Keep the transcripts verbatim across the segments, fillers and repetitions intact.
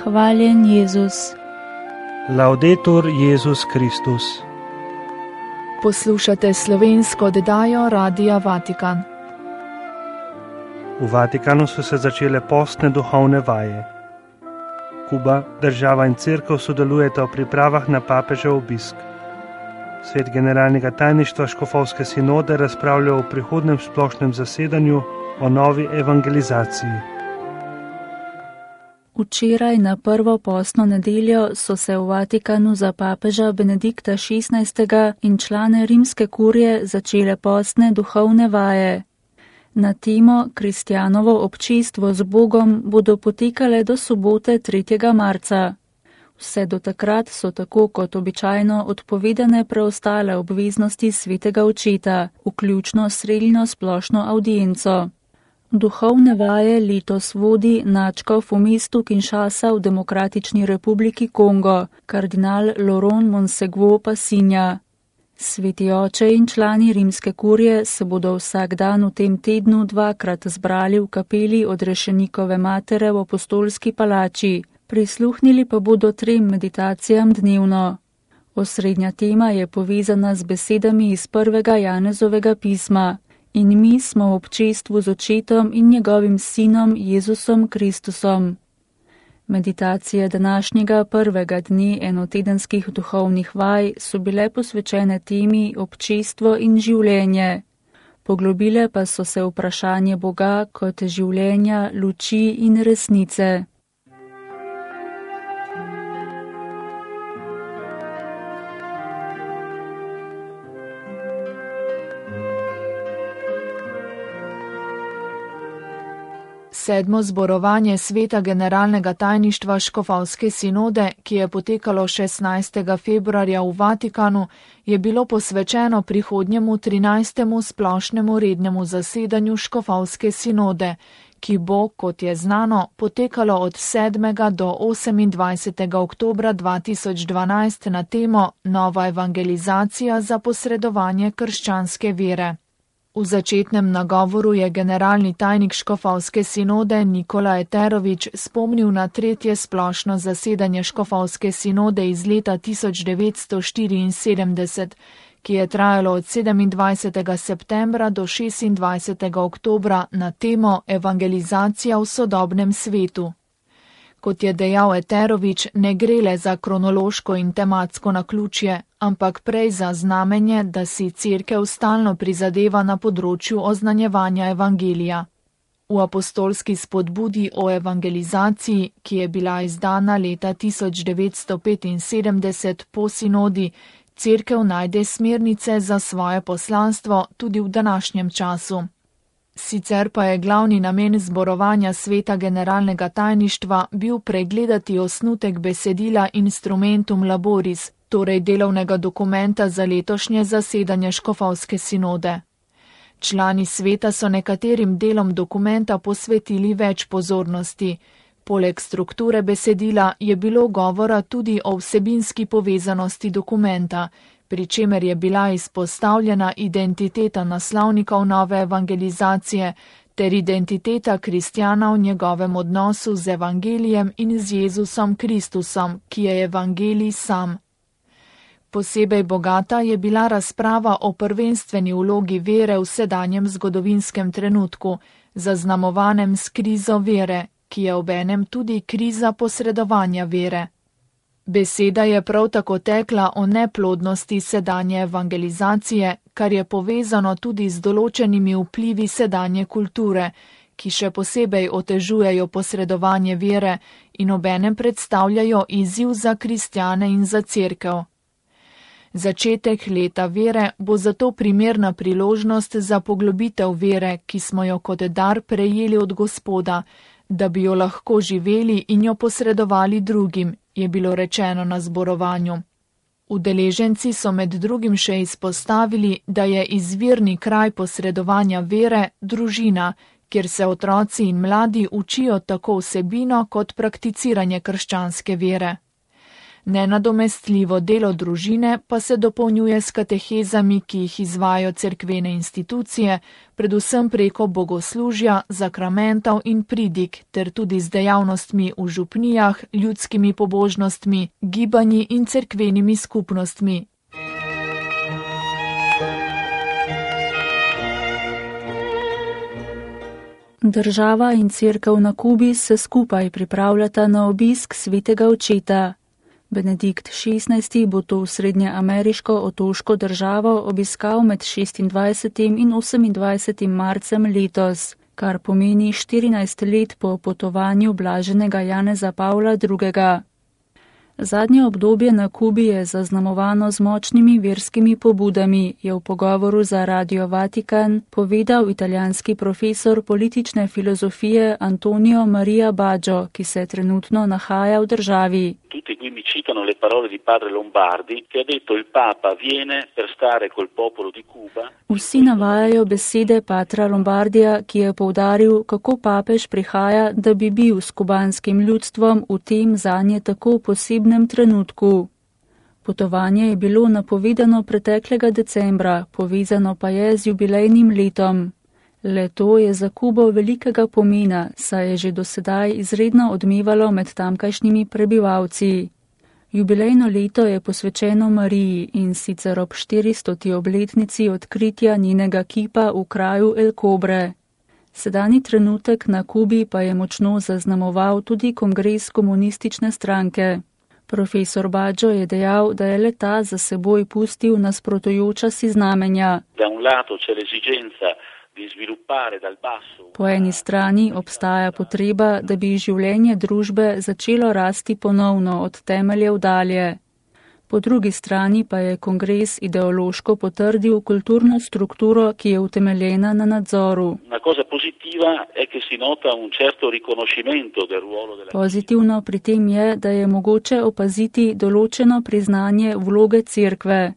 Hvaljen Jezus. Laudetur Jezus Kristus. Poslušate slovensko oddajo Radia Vatikan. V Vatikanu so se začele postne duhovne vaje. Kuba, država in cerkev sodelujeta v pripravah na papežev obisk. Svet generalnega tajništva škofovske sinode razpravlja o prihodnem splošnem zasedanju o novi evangelizaciji. Včeraj na prvo postno nedeljo so se v Vatikanu za papeža Benedikta šestnajstega in člane rimske kurije začele postne duhovne vaje. Na temo Kristjanovo občestvo z Bogom bodo potekale do sobote tretjega marca. Vse do takrat so tako kot običajno odpovedane preostale obveznosti svetega očeta, vključno srednjo splošno avdienco. Duhovne vaje letos vodi nadškof v mestu Kinshasa v Demokratični republiki Kongo, kardinal Laurent Monsegwo Passinja. Sveti oče in člani rimske kurije se bodo vsak dan v tem tednu dvakrat zbrali v kapeli Odrešenikove matere v apostolski palači, prisluhnili pa bodo trem meditacijam dnevno. Osrednja tema je povezana z besedami iz prvega Janezovega pisma. In mi smo v občestvu z očetom in njegovim sinom Jezusom Kristusom. Meditacije današnjega prvega dne enotedenskih duhovnih vaj so bile posvečene temi občestvo in življenje. Poglobile pa so se vprašanje Boga kot življenja, luči in resnice. Sedmo zborovanje sveta generalnega tajništva škofovske sinode, ki je potekalo šestnajstega februarja v Vatikanu, je bilo posvečeno prihodnjemu trinajstemu splošnemu rednemu zasedanju škofovske sinode, ki bo, kot je znano, potekalo od sedmega do osemindvajsetega oktobra dva tisoč dvanajst na temo Nova evangelizacija za posredovanje krščanske vere. V začetnem nagovoru je generalni tajnik škofovske sinode Nikola Eterović spomnil na tretje splošno zasedanje škofovske sinode iz leta tisoč devetsto štiriinsedemdeset, ki je trajalo od sedemindvajsetega septembra do šestindvajsetega oktobra na temo Evangelizacija v sodobnem svetu. Kot je dejal Eterović, ne gre le za kronološko in tematsko naključje, ampak prej za znamenje, da si cerkev stalno prizadeva na področju oznanjevanja evangelija. V apostolski spodbudi o evangelizaciji, ki je bila izdana leta tisoč devetsto petinsedemdeset po sinodi, cerkev najde smernice za svoje poslanstvo tudi v današnjem času. Sicer pa je glavni namen zborovanja sveta generalnega tajništva bil pregledati osnutek besedila Instrumentum Laboris, torej delovnega dokumenta za letošnje zasedanje škofovske sinode. Člani sveta so nekaterim delom dokumenta posvetili več pozornosti. Poleg strukture besedila je bilo govora tudi o vsebinski povezanosti dokumenta, pri čemer je bila izpostavljena identiteta naslovnikov nove evangelizacije ter identiteta kristjana v njegovem odnosu z evangelijem in z Jezusom Kristusom, ki je evangelij sam. Posebej bogata je bila razprava o prvenstveni vlogi vere v sedanjem zgodovinskem trenutku, zaznamovanem s krizo vere, ki je obenem tudi kriza posredovanja vere. Beseda je prav tako tekla o neplodnosti sedanje evangelizacije, kar je povezano tudi z določenimi vplivi sedanje kulture, ki še posebej otežujejo posredovanje vere in obenem predstavljajo izziv za kristjane in za cerkev. Začetek leta vere bo zato primerna priložnost za poglobitev vere, ki smo jo kot dar prejeli od Gospoda, da bi jo lahko živeli in jo posredovali drugim, je bilo rečeno na zborovanju. Udeleženci so med drugim še izpostavili, da je izvirni kraj posredovanja vere družina, kjer se otroci in mladi učijo tako vsebino kot prakticiranje krščanske vere. Nenadomestljivo delo družine pa se dopolnjuje s katehezami, ki jih izvajo cerkvene institucije, predvsem preko bogoslužja, zakramentov in pridig, ter tudi z dejavnostmi v župnijah, ljudskimi pobožnostmi, gibanji in cerkvenimi skupnostmi. Država in cerkev na Kubi se skupaj pripravljata na obisk svetega očeta. Benedikt šestnajsti bo to srednjeameriško otoško državo obiskal med šestindvajsetim in osemindvajsetim marcem letos, kar pomeni štirinajst let po potovanju blaženega Janeza Pavla drugega. Zadnje obdobje na Kubi je zaznamovano z močnimi verskimi pobudami, je v pogovoru za Radio Vatikan povedal italijanski profesor politične filozofije Antonio Maria Baggio, ki se trenutno nahaja v državi. Tutti quindi citano le parole di padre Lombardi, che ha detto il Papa viene per stare col popolo di Cuba. Vsi navajajo besede patra Lombardija, ki je poudaril, kako papež prihaja, da bi bil s kubanskim ljudstvom v tem zanje tako posebnem trenutku. Potovanje je bilo napovedano preteklega decembra, povezano pa je z jubilejnim letom. Leto je za Kubo velikega pomena, saj je že dosedaj izredno odmevalo med tamkajšnjimi prebivalci. Jubilejno leto je posvečeno Mariji in sicer ob štiristoti obletnici odkritja njenega kipa v kraju El Cobre. Sedani trenutek na Kubi pa je močno zaznamoval tudi kongres komunistične stranke. Profesor Baggio je dejal, da je leta za seboj pustil nasprotujoča si znamenja. Po eni strani obstaja potreba, da bi življenje družbe začelo rasti ponovno od temeljev dalje. Po drugi strani pa je kongres ideološko potrdil kulturno strukturo, ki je utemeljena na nadzoru. Pozitivno pri tem je, da je mogoče opaziti določeno priznanje vloge cerkve.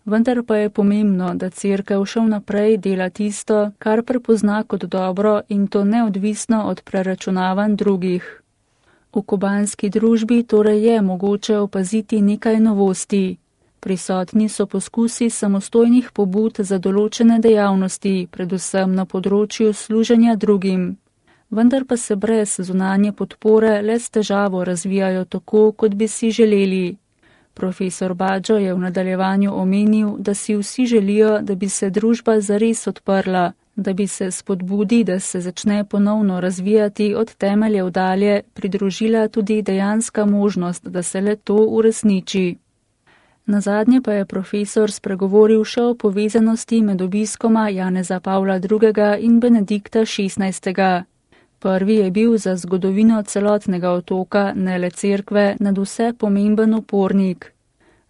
Vendar pa je pomembno, da cerkev še naprej dela tisto, kar prepozna kot dobro in to neodvisno od preračunavanj drugih. V kubanski družbi torej je mogoče opaziti nekaj novosti. Prisotni so poskusi samostojnih pobud za določene dejavnosti, predvsem na področju služenja drugim. Vendar pa se brez zunanje podpore le s težavo razvijajo tako, kot bi si želeli. Profesor Baggio je v nadaljevanju omenil, da si vsi želijo, da bi se družba zares odprla, da bi se spodbudi, da se začne ponovno razvijati od temeljev dalje, pridružila tudi dejanska možnost, da se le to uresniči. Nazadnje pa je profesor spregovoril še o povezanosti med obiskoma Janeza Pavla drugega in Benedikta šestnajstega. Prvi je bil za zgodovino celotnega otoka, ne le cerkve, nadvse pomemben upornik.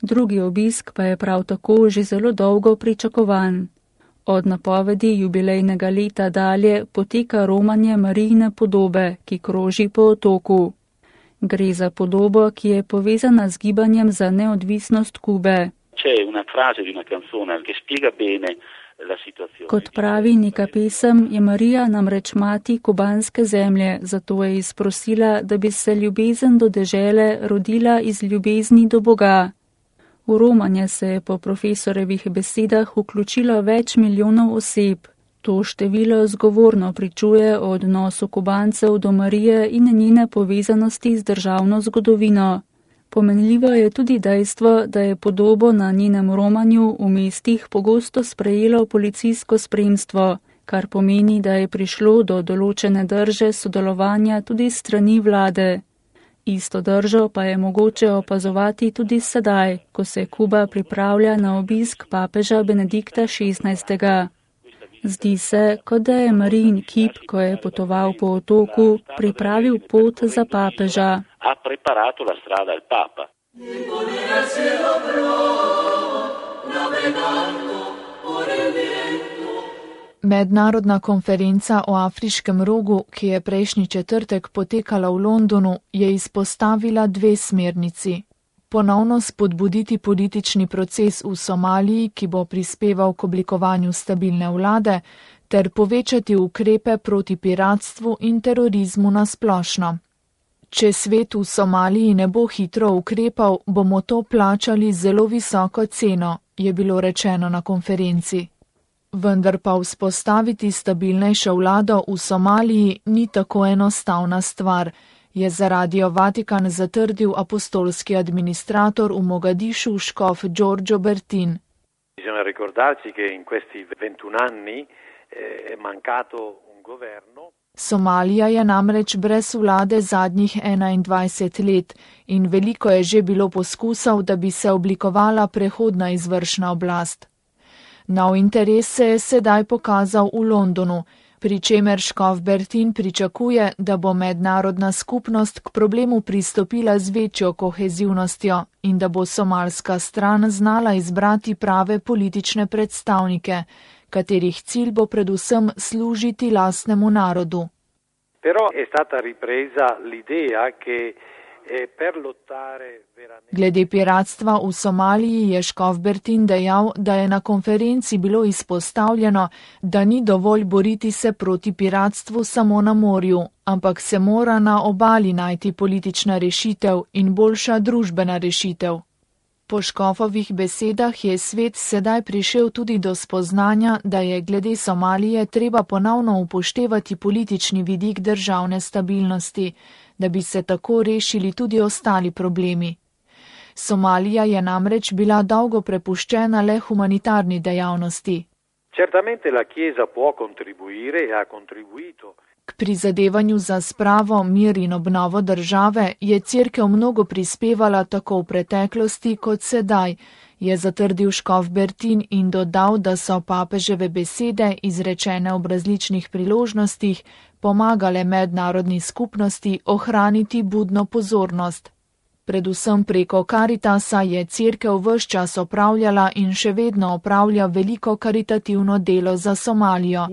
Drugi obisk pa je prav tako že zelo dolgo pričakovan. Od napovedi jubilejnega leta dalje poteka romanje Marijine podobe, ki kroži po otoku. Gre za podobo, ki je povezana z gibanjem za neodvisnost Kube. Kot pravi neka pesem, je Marija namreč mati kubanske zemlje, zato je izprosila, da bi se ljubezen do dežele rodila iz ljubezni do Boga. V romanje se je po profesorjevih besedah vključilo več milijonov oseb. To število zgovorno pričuje o odnosu Kubancev do Marije in njene povezanosti z državno zgodovino. Pomenljivo je tudi dejstvo, da je podobo na njenem romanju v mestih pogosto sprejelo policijsko spremstvo, kar pomeni, da je prišlo do določene drže sodelovanja tudi strani vlade. Isto držo pa je mogoče opazovati tudi sedaj, ko se Kuba pripravlja na obisk papeža Benedikta šestnajstega. Zdi se, kot da je Marijin kip, ko je potoval po otoku, pripravil pot za papeža. Mednarodna konferenca o afriškem rogu, ki je prejšnji četrtek potekala v Londonu, je izpostavila dve smernici. Ponovno spodbuditi politični proces v Somaliji, ki bo prispeval k oblikovanju stabilne vlade, ter povečati ukrepe proti piratstvu in terorizmu na splošno. Če svet v Somaliji ne bo hitro ukrepal, bomo to plačali zelo visoko ceno, je bilo rečeno na konferenci. Vendar pa vzpostaviti stabilnejšo vlado v Somaliji ni tako enostavna stvar, je za Radio Vatikan zatrdil apostolski administrator v Mogadišu škof Giorgio Bertin. Bisogna ricordarci che in questi ventuno anni è mancato un governo. Somalija je namreč brez vlade zadnjih enaindvajset let in veliko je že bilo poskusov, da bi se oblikovala prehodna izvršna oblast. Nov interes se je sedaj pokazal v Londonu, pri čemer škof Bertin pričakuje, da bo mednarodna skupnost k problemu pristopila z večjo kohezivnostjo in da bo somalska stran znala izbrati prave politične predstavnike, katerih cilj bo predvsem služiti lastnemu narodu. Però è stata ripresa l'idea che per lottare veramente... Glede piratstva v Somaliji je škof Bertin dejal, da je na konferenci bilo izpostavljeno, da ni dovolj boriti se proti piratstvu samo na morju, ampak se mora na obali najti politična rešitev in boljša družbena rešitev. Po škofovih besedah je svet sedaj prišel tudi do spoznanja, da je glede Somalije treba ponovno upoštevati politični vidik državne stabilnosti, da bi se tako rešili tudi ostali problemi. Somalija je namreč bila dolgo prepuščena le humanitarni dejavnosti. Certamente la Chiesa può contribuire e ha contribuito. K prizadevanju za spravo, mir in obnovo države je Cerkev mnogo prispevala tako v preteklosti kot sedaj, je zatrdil škof Bertin in dodal, da so papeževe besede, izrečene ob različnih priložnostih, pomagale mednarodni skupnosti ohraniti budno pozornost. Predvsem preko Karitasa je Cerkev ves čas opravljala in še vedno opravlja veliko karitativno delo za Somalijo.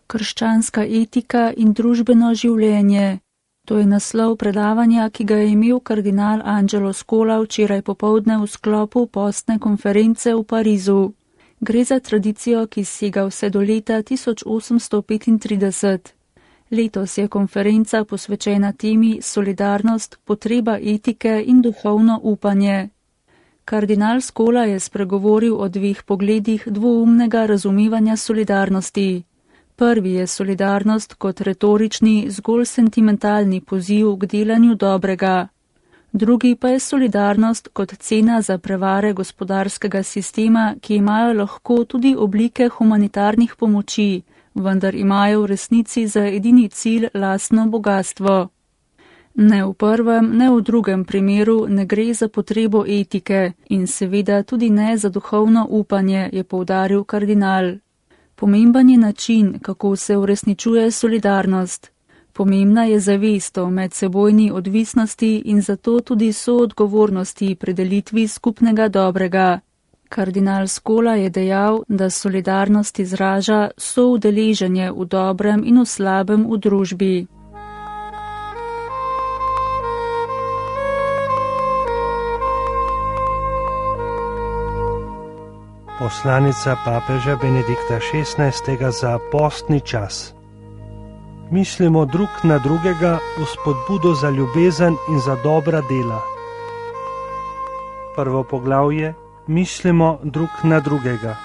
Krščanska etika in družbeno življenje. To je naslov predavanja, ki ga je imel kardinal Angelo Scola včeraj popoldne v sklopu postne konference v Parizu. Gre za tradicijo, ki sega vse do leta tisoč osemsto petintrideset. Letos je konferenca posvečena temi solidarnost, potreba etike in duhovno upanje. Kardinal Scola je spregovoril o dveh pogledih dvoumnega razumevanja solidarnosti. Prvi je solidarnost kot retorični, zgolj sentimentalni poziv k delanju dobrega. Drugi pa je solidarnost kot cena za prevare gospodarskega sistema, ki imajo lahko tudi oblike humanitarnih pomoči, vendar imajo v resnici za edini cilj lastno bogatstvo. Ne v prvem, ne v drugem primeru ne gre za potrebo etike in seveda tudi ne za duhovno upanje, je poudaril kardinal. Pomemben je način, kako se uresničuje solidarnost. Pomembna je zavest o medsebojni odvisnosti in zato tudi soodgovornosti pri delitvi skupnega dobrega. Kardinal Scola je dejal, da solidarnost izraža soudeleženje v dobrem in v slabem v družbi. Poslanica papeža Benedikta šestnajstega za postni čas. Mislimo drug na drugega v spodbudo za ljubezen in za dobra dela. Prvo poglavje: mislimo drug na drugega.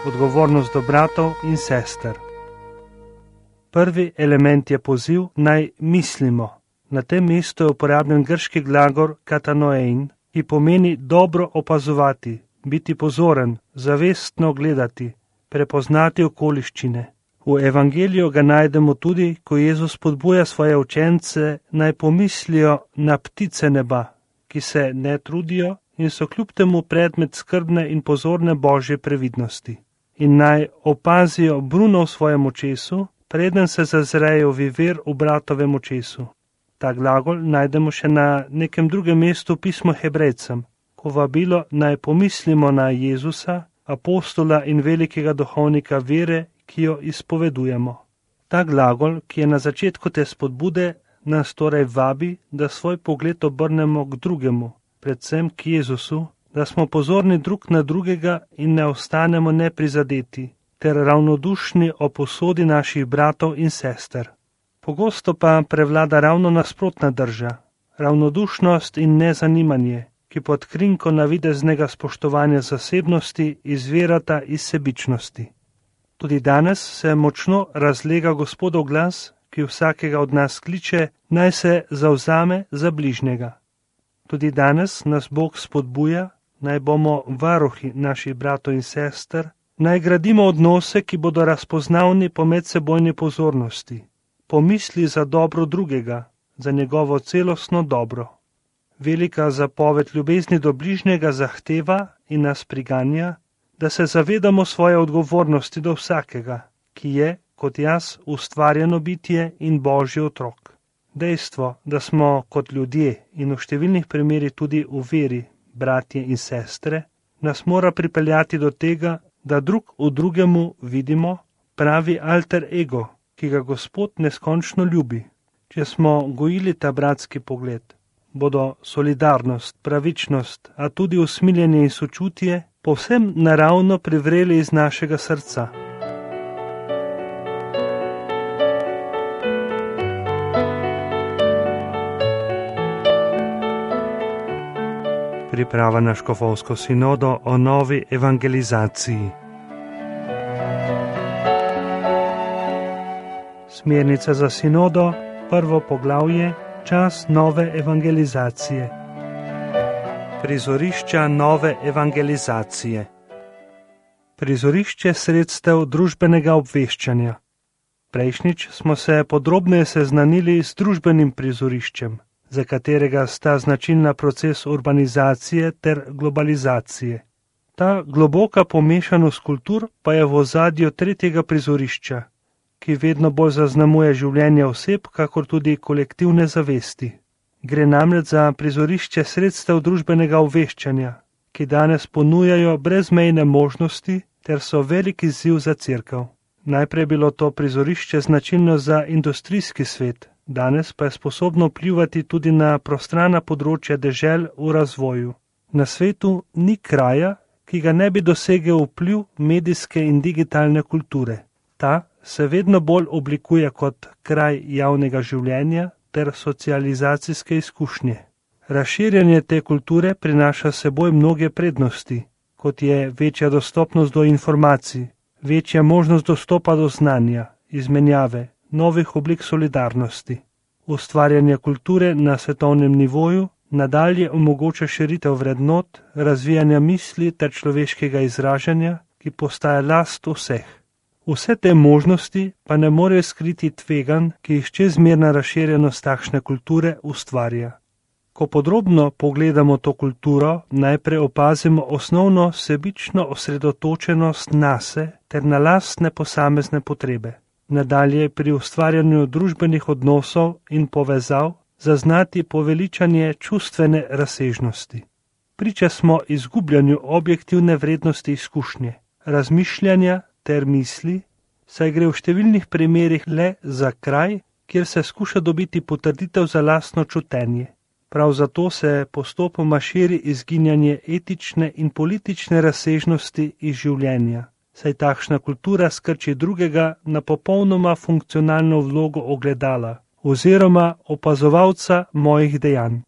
Odgovornost do bratov in sester. Prvi element je poziv naj mislimo. Na tem mestu je uporabljen grški glagol katanoein, ki pomeni dobro opazovati, biti pozoren, zavestno gledati, prepoznati okoliščine. V evangeliju ga najdemo tudi, ko Jezus spodbuja svoje učence, naj pomislijo na ptice neba, ki se ne trudijo in so kljub temu predmet skrbne in pozorne božje previdnosti. In naj opazijo bruno v svojem očesu, preden se zazrejo viver v bratovem očesu. Ta glagol najdemo še na nekem drugem mestu pismo Hebrejcem, ko vabilo naj pomislimo na Jezusa, apostola in velikega duhovnika vere, ki jo izpovedujemo. Ta glagol, ki je na začetku te spodbude, nas torej vabi, da svoj pogled obrnemo k drugemu, predvsem k Jezusu, da smo pozorni drug na drugega in ne ostanemo neprizadeti, ter ravnodušni o posodi naših bratov in sester. Pogosto pa prevlada ravno nasprotna drža, ravnodušnost in nezanimanje, ki pod krinko navideznega spoštovanja zasebnosti izvirata iz sebičnosti. Tudi danes se močno razlega Gospodov glas, ki vsakega od nas kliče, naj se zavzame za bližnjega. Tudi danes nas Bog spodbuja, naj bomo varuhi naših bratov in sester, naj gradimo odnose, ki bodo razpoznavni po medsebojni pozornosti, pomisli za dobro drugega, za njegovo celostno dobro. Velika zapoved ljubezni do bližnjega zahteva in nas priganja, da se zavedamo svoje odgovornosti do vsakega, ki je, kot jaz, ustvarjeno bitje in Božji otrok. Dejstvo, da smo kot ljudje in v številnih primerih tudi v veri, bratje in sestre, nas mora pripeljati do tega, da drug v drugemu vidimo pravi alter ego, ki ga Gospod neskončno ljubi. Če smo gojili ta bratski pogled, bodo solidarnost, pravičnost, a tudi usmiljenje in sočutje povsem naravno privreli iz našega srca. Priprava na škofovsko sinodo o novi evangelizaciji. Smernica za sinodo, prvo poglavje, čas nove evangelizacije. Prizorišča nove evangelizacije. Prizorišče sredstev družbenega obveščanja. Prejšnjič smo se podrobneje seznanili s družbenim prizoriščem, za katerega sta značilna proces urbanizacije ter globalizacije. Ta globoka pomešanost kultur pa je v ozadju tretjega prizorišča, ki vedno bolj zaznamuje življenje oseb, kakor tudi kolektivne zavesti. Gre namreč za prizorišče sredstev družbenega obveščanja, ki danes ponujajo brezmejne možnosti ter so velik izziv za cerkev. Najprej bilo to prizorišče značilno za industrijski svet, danes pa je sposobno vplivati tudi na prostrana področja dežel v razvoju. Na svetu ni kraja, ki ga ne bi dosegel vpliv medijske in digitalne kulture. Ta se vedno bolj oblikuje kot kraj javnega življenja ter socializacijske izkušnje. Razširjanje te kulture prinaša seboj mnoge prednosti, kot je večja dostopnost do informacij, večja možnost dostopa do znanja, izmenjave, novih oblik solidarnosti. Ustvarjanje kulture na svetovnem nivoju nadalje omogoča širitev vrednot, razvijanja misli ter človeškega izražanja, ki postaja last vseh. Vse te možnosti pa ne morejo skriti tveganj, ki jih čezmerna razširjenost takšne kulture ustvarja. Ko podrobno pogledamo to kulturo, najprej opazimo osnovno sebično osredotočenost nase ter na lastne posamezne potrebe. Nadalje pri ustvarjanju družbenih odnosov in povezav zaznati poveličanje čustvene razsežnosti. Priča smo izgubljanju objektivne vrednosti izkušnje, razmišljanja ter misli, saj gre v številnih primerih le za kraj, kjer se skuša dobiti potrditev za lastno čutenje. Prav zato se postopoma širi izginjanje etične in politične razsežnosti iz življenja, saj takšna kultura skrči drugega na popolnoma funkcionalno vlogo ogledala oziroma opazovalca mojih dejanj.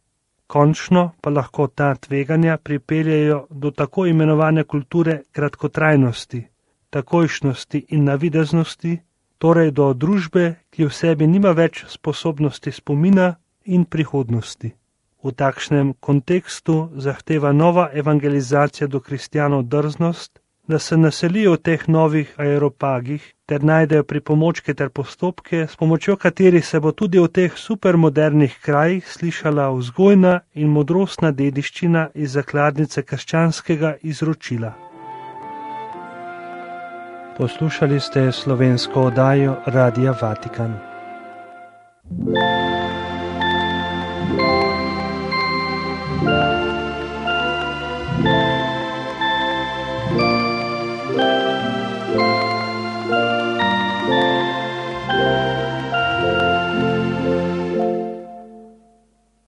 Končno pa lahko ta tveganja pripeljejo do tako imenovane kulture kratkotrajnosti, takojšnosti in navideznosti, torej do družbe, ki v sebi nima več sposobnosti spomina in prihodnosti. V takšnem kontekstu zahteva nova evangelizacija do kristjanov drznost, da se naselijo v teh novih aeropagih ter najdejo pripomočke ter postopke, s pomočjo katerih se bo tudi v teh supermodernih krajih slišala vzgojna in modrostna dediščina iz zakladnice krščanskega izročila. Poslušali ste slovensko oddajo Radia Vatikan.